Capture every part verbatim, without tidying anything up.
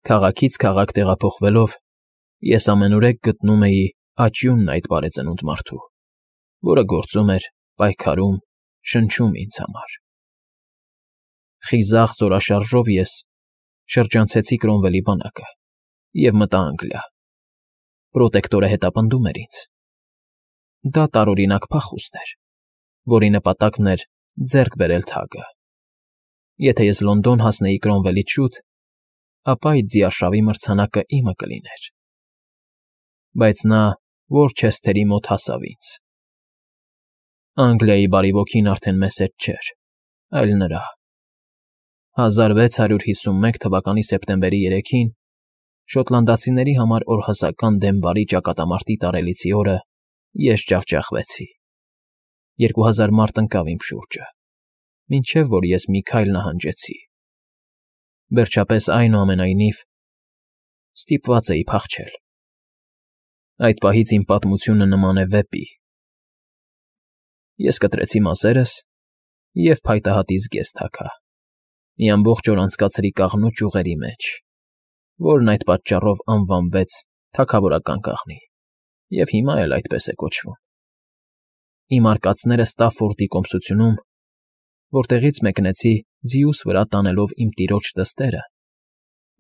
Քաղաքից քաղաք տեղափոխվելով՝ ես ամենուրեք գտնում էի աճյունն այդ բարեծնունդ մարդու, որը գործում էր, պայքարում, շնչում ինձ համար։ Խիզախ զորաշարժով ես շրջանցեցի Կրոմվելի բանակը և մտա Անգլիա։ Պրոտեկտորը հետապնդում էր ինձ։ Դա տարօրինակ փախուստ էր, որի նպատակն էր ձեռք բերել թագը։ Եթե ես Լոնդոն հասնեի Կրոմվելից շուտ, ապա այդ ձիարշավի մրցանակը իմը կլիներ։ Բայց նա Որչեսթերի մոտ հասավ ինձ։ Անգլիայի բարի ոգին արդեն մեզ հետ չէր, այլ նրա։ հազար վեց հարյուր հիսունմեկ թվականի սեպտեմբերի երեքին շոտլանդացիների համար օրհասական դեմ բարի ճակատամարտի տարելիցի օրը ես ջախջախվեցի։ Երկու հազար մարդ ընկավ իմ շուրջը, մինչև որ ես մի քայլ նահանջեցի։ Վերջապես, այնուամենայնիվ, ստիպված էի փախչել։ Այդ պահից իմ պատմությունը նման է վեպի։ Ես կտրեցի մազերս և փայտահատի զգեստ թաքա, մի ամբողջ օր անցկացրի կաղնու ճյուղերի մեջ, որն այդ պատճառով անվանվեց Թագավորական կաղնի և հիմա էլ այդպես է կոչվում։ Իմ արկածները Ստաֆֆորդի կոմսությունում, որտեղից մեկնեցի ձիուս վրա տանելով իմ տիրոջ թղթերը,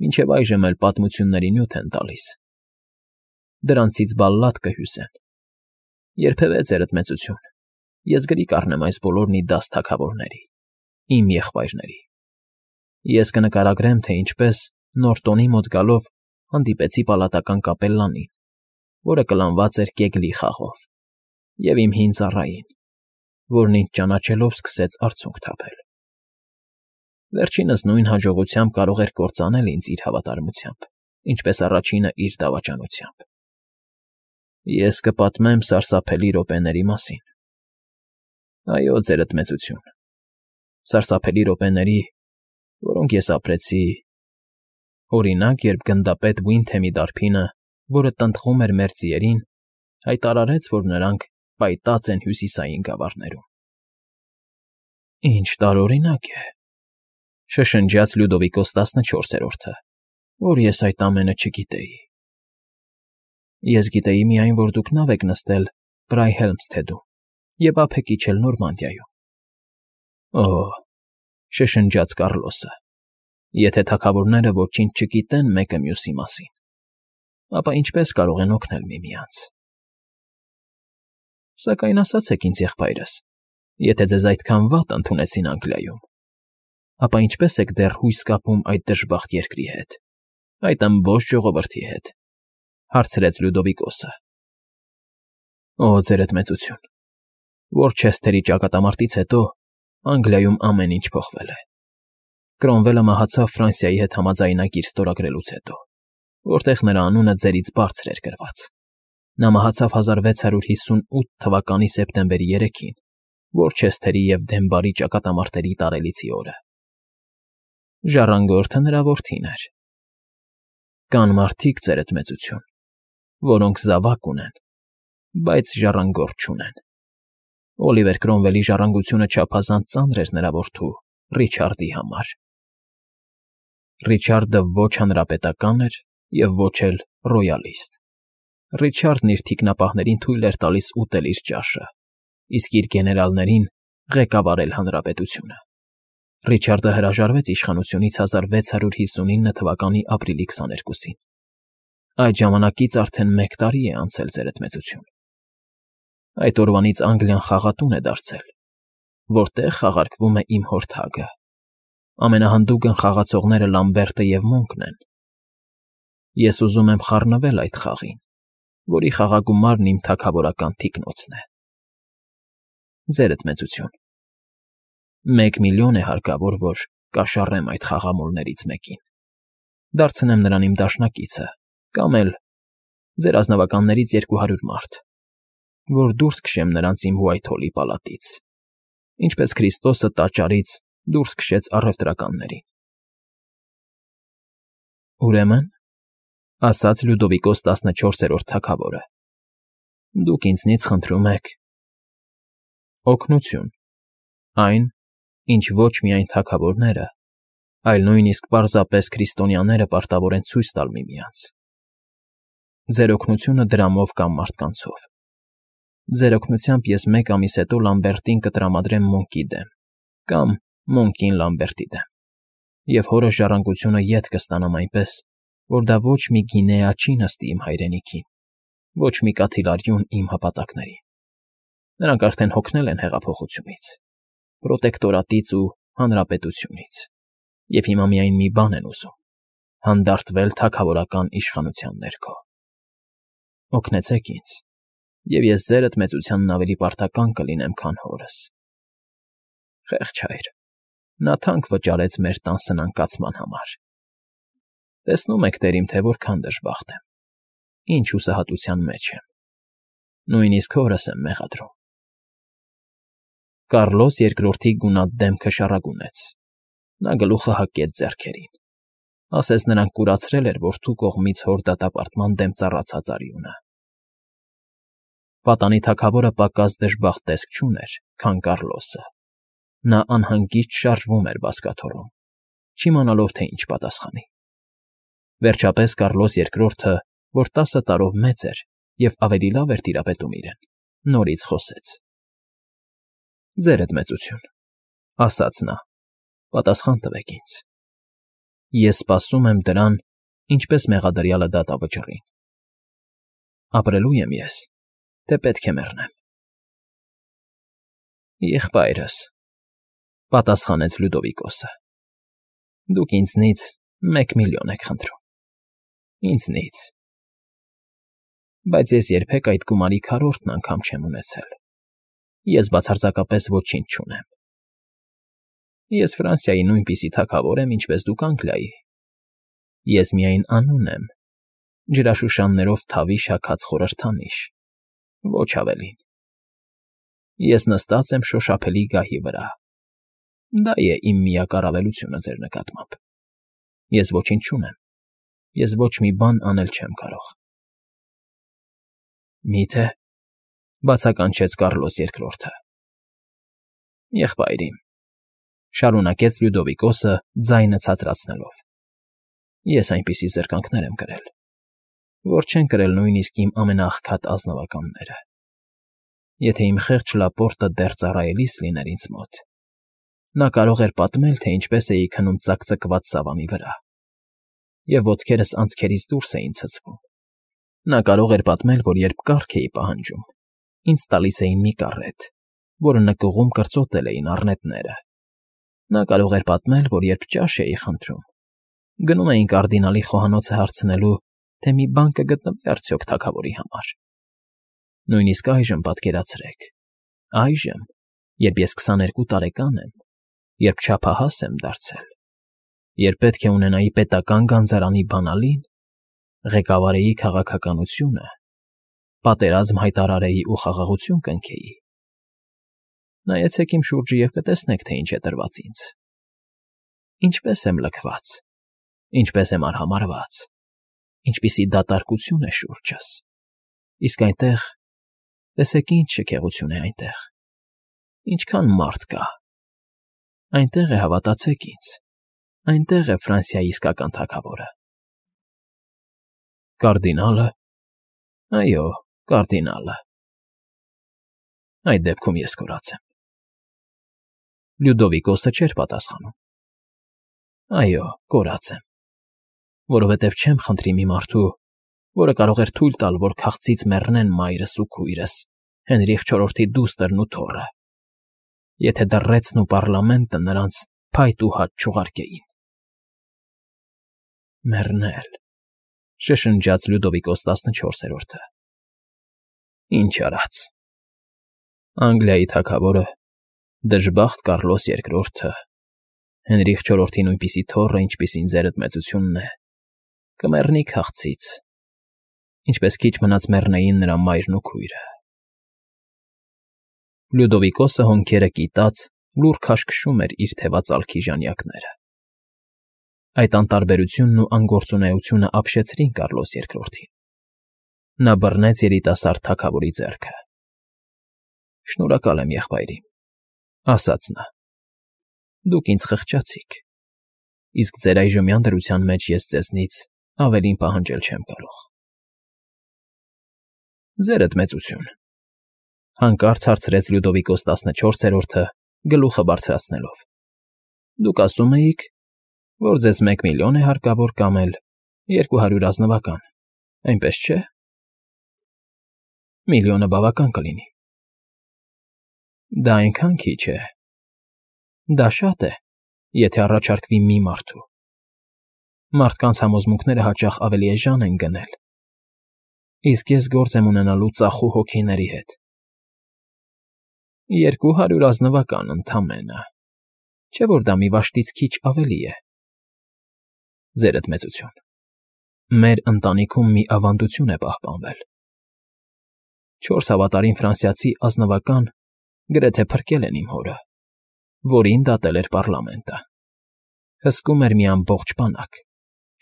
մինչև այժմ էլ պատմությունների նյութ են տալիս։ Դրանցից բալլադ կհյուսեն։ Երբևէ, ձերդ մեծություն, ես գրի կառնեմ այս բոլորն ի դաս թագավորների, իմ եղբայրների։ Ես կնկարագրեմ, թե ինչպես Նորտոնի մոտ գալով հանդիպեցի պալատական կապելլանին, որը կլանված էր կեգլի խաղով, և իմ հին ծառային, որն ինձ ճանաչելով սկսեց արցունք թափել։ Վերջինս նույն հաջողությամբ կարող էր կործանել ինձ իր հավատարմությամբ, ինչպես առաջինը իր դավաճանությամբ։ Ես կպատմեմ սարսափելի րոպեների մասին։ Այո, ձերդ մեծություն, սարսափելի րոպեների, որոնք ես ապրեցի… Օրինակ, երբ գնդապետ Վինդհեմի դարբինը, որը տնտղում էր մեր ձիերին, հայտարարեց, որ նրանք պայտած են հյուսիսային գավառներում։ Ինչ տարօրինակ է,֊ շշնջաց Լյուդովիկոս տասնչորսերորդը, որ ես այդ ամենը չգիտեի։ Ես գիտեի միայն, որ դուք նավ եք նստել Բրայհելմսթեդում և ափ եք իջել Նորմանդիայում։ Օ՜, շշնջաց Կառլոսը, եթե թագավորները ոչինչ չգիտեն մեկը մյուսի մասին, ապա ինչպե՞ս կարող են օգնել միմյանց։ Սակայն ասացեք ինձ, եղբայրս, եթե ձեզ այդքան վատ ընդունեցին Անգլիայում, ապա ինչպե՞ս եք դեռ հույս կապում այդ դժբախտ երկրի հետ, այդ ըմբոստ ժողովրդի հետ,֊ հարցրեց Լյուդովիկոսը։ Օ, ձերդ մեծություն, Որչեսթերի ճակատամարտից հետո Անգլիայում ամեն ինչ փոխվել է։ Կրոմվելը մահացավ Ֆրանսիայի հետ համաձայնագիր ստորագրելուց հետո, որտեղ նրա անունը ձերից բարձր էր գրված։ Նա մահացավ հազար վեց հարյուր հիսունութ թվականի սեպտեմբերի երեքին, Որչեսթերի և Դենբարի ճակատամարտերի տարելիցի օրը։ Ժառանգորդը նրա որդին էր։ Կան մարդիկ, ձերդ մեծություն, որոնք զավակ ունեն, բայց ժառանգորդ չունեն։ Օլիվեր Կրոմվելի ժառանգությունը չափազանց ծանր էր նրա որդու՝ Ռիչարդի համար։ Ռիչարդը ոչ հանրապետական էր և ոչ էլ ռոյալիստ։ Ռիչարդն իր թիկնապահներին թույլ էր տալիս ուտել իր ճաշը, իսկ իր գեներալներին՝ ղեկավարել հանրապետությունը։ Ռիչարդը հրաժարվեց իշխանությունից հազար վեց հարյուր հիսունինը թվականի ապրիլի քսաներկուսին։ Այդ ժամանակից արդեն մեկ տարի է անցել, ձերդ մեծություն։ Այդ օրվանից Անգլիան խաղատուն է դարձել, որտեղ խաղարկվում է իմ հոր թագը։ Ամենահանդուգն խաղացողները Լամբերտը և Մոնկն են։ Ես ուզում եմ խառնվել այդ խաղին, որի խաղագումարն իմ թագավորական թիկնոցն է։ Ձերդ մեծություն, մեկ միլիոն է հարկավոր, որ կաշառեմ այդ խաղամոլներից մեկին, դարձնեմ նրան իմ դաշնակիցը, կամ էլ ձեր ազնվականներից երկու հարյուր մարդ, որ դուրս քշեմ նրանց իմ Ուայթհոլի պալատից, ինչպես Քրիստոսը տաճարից դուրս քշեց առևտրականներին։ Ուրեմն, ասաց Լյուդովիկոս տասնչորսերորդ թագավորը, դուք ինձնից խնդրում եք… օգնություն, այն, ինչ ոչ միայն թագավորները, այլ նույնիսկ պարզապես քրիստոնյաները պարտավոր են ցույց տալ միմյանց։ Ձեր օգնությունը դրամով կամ մարդկանցով։ Ձեր օգնությամբ ես մեկ ամիս հետո Լամբերտին կտրամադրեմ Մոնկի դեմ, կամ Մոնկին Լամբերտի դեմ, և հորս ժառանգությունը ետ կստանամ այնպես, որ դա ոչ մի գինեա չի նստի իմ հայրենիքին, ոչ մի կաթիլարյուն իմ հպատակներին։ Նրանք արդեն հոգնել են հեղափոխությունից, պրոտեկտորատից ու հանրապետությունից, և հիմա միայն մի բան են ուզում՝ հանդարտվել թագավորական իշխանության ներքո։ Օգնեցեք ինձ, և ես ձերդ մեծությանն ավելի պարտական կլինեմ, քան հորս։ Խեղճ հայր, նա թանկ վճարեց մեր տան սնանկացման համար։ Տեսնում եք, տեր իմ, թե որքան դժբախտ եմ, ինչ հուսահատության մեջ եմ, նույնիսկ հորս եմ մեղադրում։ Կառլոս երկրորդի գունատ դեմքը շառագունեց, նա գլուխը հակեց ձեռքերին, ասես նրան կուրացրել էր որդու կողմից հոր դատապարտման դեմ ծառացած արյունը։ Պատանի թագավորը պակաս դժբախտ տեսք չուներ, քան Կառլոսը։ Նա անհանգիստ շարժվում էր բազկաթոռում, չիմանալով, թե ինչ պատասխանի։ Վերջապես Կառլոս երկրորդը, որ տասը տարով մեծ էր և ավելի լավ էր տիրապետում իրեն, նորից խոսեց. «Ձերդ մեծություն,֊ ասաց նա,֊ պատասխան տվեք ինձ։ Ես սպասում եմ դրան, ինչպես մեղադրյալը դատավճռին։ Ապրելու եմ ես, թե պետք է մեռնեմ»։ «Եղբայրս,֊ պատասխանեց Լյուդովիկոսը,֊ դուք ինձնից մեկ միլիոն եք խնդրում, ինձնից, բայց ես երբեք այդ գումարի քառորդն անգամ չեմ ունեցել, ես բացարձակապես ոչինչ չունեմ։ Ես Ֆրանսիայի նույնպիսի թագավոր եմ, ինչպես դուք Անգլիայի, ես միայն անուն եմ, ջրաշուշաններով թավիշ հագած խորհրդանիշ, ոչ ավելին։ Ես նստած եմ շոշափելի գահի վրա, դա է իմ միակ առավելությունը ձեր նկատմամբ։ Ես ոչինչ չունեմ, ես ոչ մի բան անել չեմ կարող»։ «Մի՞թե,֊ բացականչեց Կառլոս երկրորդը։ «Եղբայր իմ,֊ շարունակեց Լյուդովիկոսը ձայնը ցածրացնելով,֊ ես այնպիսի զրկանքներ եմ կրել, որ չեն կրել նույնիսկ իմ ամենաաղքատ ազնվականները։ Եթե իմ խեղճ Լապորտը դեռ ծառայելիս լիներ ինձ մոտ, նա կարող էր պատմել, թե ինչպես էի քնում ծակծկված սավանի վրա, և ոտքերս անցքերից դուրս էին ցցվում։ Նա կարող էր պատմել, որ երբ կառք էի պահանջում, ինձ տալիս էին մի կառետ, որը նկուղում կրծոտել էին առնետները։ Նա կարող էր պատմել, որ երբ ճաշ էի խնդրում, գնում էին կարդինալի խոհանոցը հարցնելու, թե մի բան կգտնվի՞ արդյոք թագավորի համար։ Նույնիսկ այժմ պատկերացրեք, այժմ, երբ ես քսաներկու տարեկան եմ, երբ չափահաս եմ դարձել, երբ պետք է ունենայի պետական գանձարանի բանալին, ղեկավարեի քաղաքականությունը, պատերազմ հայտարարեի ու խաղաղություն կնքեի։ Նայեցեք իմ շուրջը և կտեսնեք, թե ինչ է տրված ինձ, ինչպես եմ լքված, ինչպես եմ արհամարհված, ինչպիսի դատարկություն է շուրջս, իսկ այնտեղ, տեսեք ինչ շքեղություն է այնտեղ, ինչքան մարդ կա։ Այնտեղ է, հավատացեք ինձ, այնտեղ է Ֆրանսիայի իսկական թագավորը»։ «Կարդինա՞լը»։ «Այո, կարդինալը»։ «Այդ դեպքում ես կորած եմ»։ Լյուդովիկոսը չէր պատասխանում։ «Այո, կորած եմ, որովհետև չեմ խնդրի մի մարդու, որը կարող էր թույլ տալ, որ քաղցից մեռնեն մայրս ու քույրս, Հենրիխ չորրորդի դուստրն ու թոռը, եթե դռռեցն ու պառլամենտը նրանց փայտ ու հաճ չուղարկեին»։ «Մեռնել,֊ շշնջաց Լյուդովիկոս տասնչորսերորդը,֊ ի՞նչ արած։ Անգլիայի թագավորը, դժբախտ Կառլոս երկրորդը, Հենրիխ չորրորդի նույնպիսի թոռը, ինչպիսին ձերդ մեծությունն է, կմեռնի քաղցից, ինչպես քիչ մնաց մեռնեին նրա մայրն ու քույրը»։ Լյուդովիկոսը հոնքերը կիտած լուռ քաշքշում էր իր թևածալքի ժանյակները։ Այդ անտարբերությունն ու անգործունեությունը ապշեցրին Կառլոս երկրորդին։ Նա բռնեց երիտասարդ թագավորի ձեռքը։ «Շնորհակալ եմ, եղբայր իմ,֊ ասաց նա,֊ դուք ինձ խղճացիք, իսկ ձեր այժմյան դրության մեջ ես ձեզնից ավելին պահանջել չեմ կարող։ Ձերդ մեծություն, հանկարծ հարցրեց Լյուդովիկոս տասնչորսերորդը գլուխը բարձրացնելով։ Դուք ասում էիք, որ ձեզ մեկ միլիոն է հարկավոր կամ էլ երկու հարյուր ազնվական, այնպես չէ։ Միլիոնը բավական կլինի։ Դա այնքան քիչ է։ Դա շատ է, եթե առաջարկվի մի մարդու։ Մարդկանց համոզմունքները հաճախ ավելի էժան են գնել, իսկ ես գործ եմ ունենալու ծախու հոգիների հետ։ Երկու հարյուր ազնվական ընդամենը, չէ՞ որ դա մի վաշտից քիչ ավելի է։ Ձերդ մեծություն, մեր ընտանիքում մի ավանդություն է պահպանվել։ Չորս հավատարիմ ֆրանսիացի ազնվական գրեթե փրկել են իմ հորը, որին դատել էր պառլամենտը։ Հսկում էր մի ամբողջ բանակ,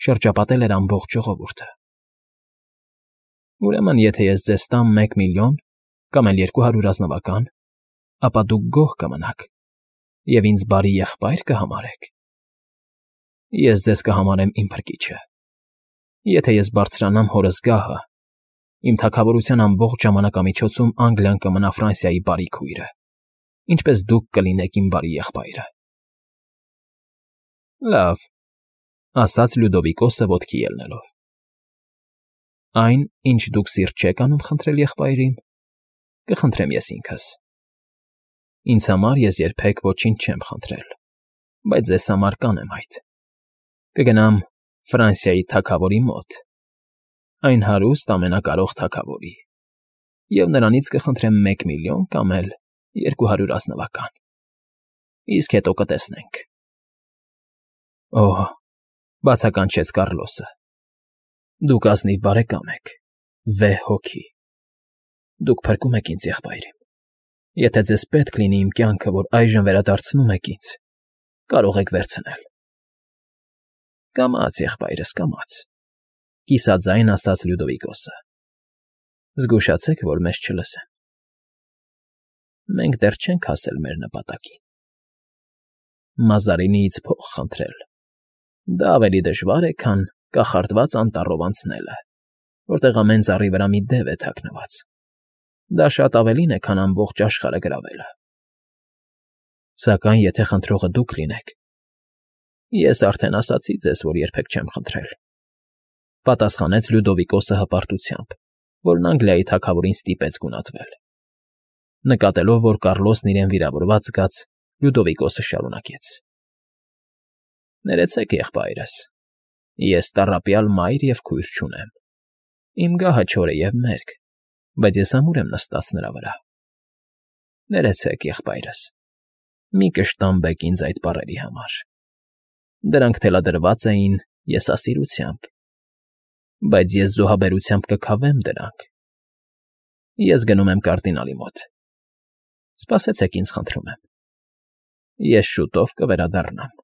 շրջապատել էր ամբողջ ժողովուրդը։ Ուրեմն, եթե ես ձեզ տամ մեկ միլիոն կամ էլ երկու հարյուր ազնվական, ապա դուք գոհ կմնաք և ինձ բարի եղբայր կհամարեք։ Ես ձեզ կհամարեմ իմ փրկիչը։ Եթե ես բարձրանամ հորս գահը, իմ թագավորության ամբողջ ժամանակամիջոցում Անգլիան կմնա Ֆրանսիայի բարի քույրը, ինչպես դուք կլինեք իմ բարի եղբայրը։ Լավ, ասաց Լյուդովիկոսը ոտքի ելնելով։ Այն, ինչ դուք սիրտ չեք անում խնդրել եղբայրին, կխնդրեմ ես ինքս։ Ինձ համար ես երբեք ոչինչ չեմ խնդրել, բայց ձեզ համար կանեմ այդ։ Կգնամ Ֆրանսիայի թագավորի մոտ, այն հարուստ ամենակարող թագավորի, և նրանից կխնդրեմ մեկ միլիոն կամ էլ երկու հարյուր ազնվական, իսկ հետո կտեսնենք։ Օհ, բացականչեց Կառլոսը, դուք ազնիվ բարեկամ եք, վեհ հոգի։ Դուք փրկում եք ինձ, եղբայրիմ։ Եթե ձեզ պետք լինի իմ կյանքը, որ այժմ վերադարձնում եք ինձ, կարող եք վերցնել։ Կամաց, եղբայրս, կամաց, կիսաձայն ասաց Լյուդովիկոսը։ Զգուշացեք, որ մեզ չլսեն։ Մենք դեռ չենք հասել մեր նպատակին։ Մազարինիից փող խնդրել։ Դա ավելի դժվար է, քան կախարդված անտառով անցնելը, որտեղ ամեն ծառի վրա մի դև է թաքնված։ Դա շատ ավելին է, քան ամբողջ աշխարհը գրավելը։ Սակայն եթե խնդրողը դուք լինեք, ես արդեն ասացի ձեզ, որ երբեք չեմ խնդրել, պատասխանեց Լյուդովիկոսը հպարտությամբ, որն Անգլիայի թագավորին ստիպեց գունատվել։ Նկատելով, որ Կառլոսն իրեն վիրավորված զգաց, Լյուդովիկոսը շարունակեց. Ներեցեք, եղբայրս, ես տառապյալ մայր և քույր չունեմ։ Իմ գահը չոր է և մերկ, բայց ես ամուր եմ նստած նրա վրա։ Ներեցեք, եղբայրս, մի կշտամբեք ինձ այդ բառերի համար։ Դրանք թելադրված էին եսասիրությամբ, բայց ես զոհաբերությամբ կքավեմ դրանք։ Ես գնում եմ կարդինալի մոտ։ Սպասեցեք ինձ, խնդրում եմ։ Ես շուտով կվերադառնամ։